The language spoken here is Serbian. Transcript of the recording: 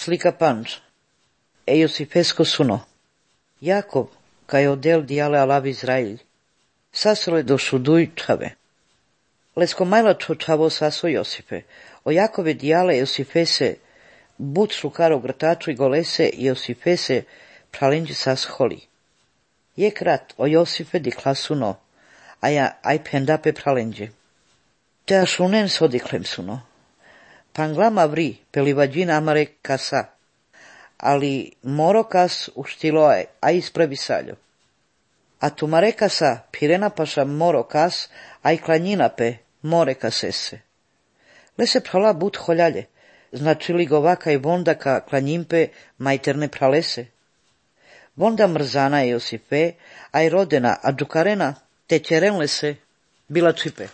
Slika panč. Josifesko suno. Jakov, kaj odel diale alav Izrail. Sasole do šuduj čave. Lesko majla čavo saso Josife. O Jakove diale Josifese but šlukaro grtaču i golese Josifese pralenđi sas holi. Je krat o Josife dikla suno, a ja aj pendape pralenđe. Te ašunen sodiklem suno. Panglama vri pelivađin amare kasa, ali moro kas uštiloe, a ispravi saljo. A tumare kasa pirena paša moro kas, a i klanjinape more kasese. Lese prala but holjalje, znači li govaka i vondaka klanjimpe majterne pralese. Vonda mrzana je Josife, a i rodena, a džukarena te ćerenle se bila čipe.